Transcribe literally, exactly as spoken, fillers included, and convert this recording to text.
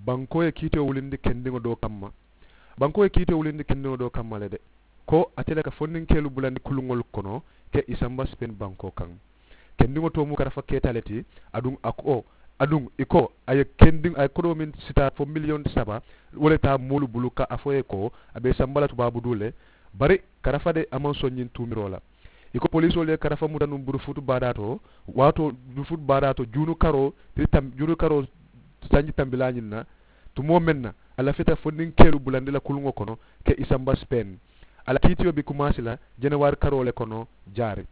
Bankoo ye kiitiyo wulindi kendiŋo doo kamma. Bankoo ye kiitiyo wulindi kendiŋo doo kamma le de, ko ate le ka fondinkeelu bulandi kuluŋolu kono ke i samba sipeeni bankoo kaŋ. Kendiŋo too mu karafa keeta le ti. Aduŋ a ko aduŋ i ko a ye kendiŋ a ye kodoo meŋ sitaa fo miliyoŋ saba, wo le taa moolu bulu ka a fo ye ko a be i samba la tubaabu duu le. Bari karafa de a maŋ soŋ ñiŋ tuumiroo la. I ko poliisoolu ye karafa muta nuŋ burufutu baadaa to, waatoo burufutu baadaa to juunu karoo tili tam juunu karoo sanji tambilaa ñiŋ na. Tumoo meŋ na a lafita fondinkeelu bulandi la kuluŋo kono ke i samba sipeeni. A la kiitiyo be kumaasi la jenewaari karoo le kono jaari.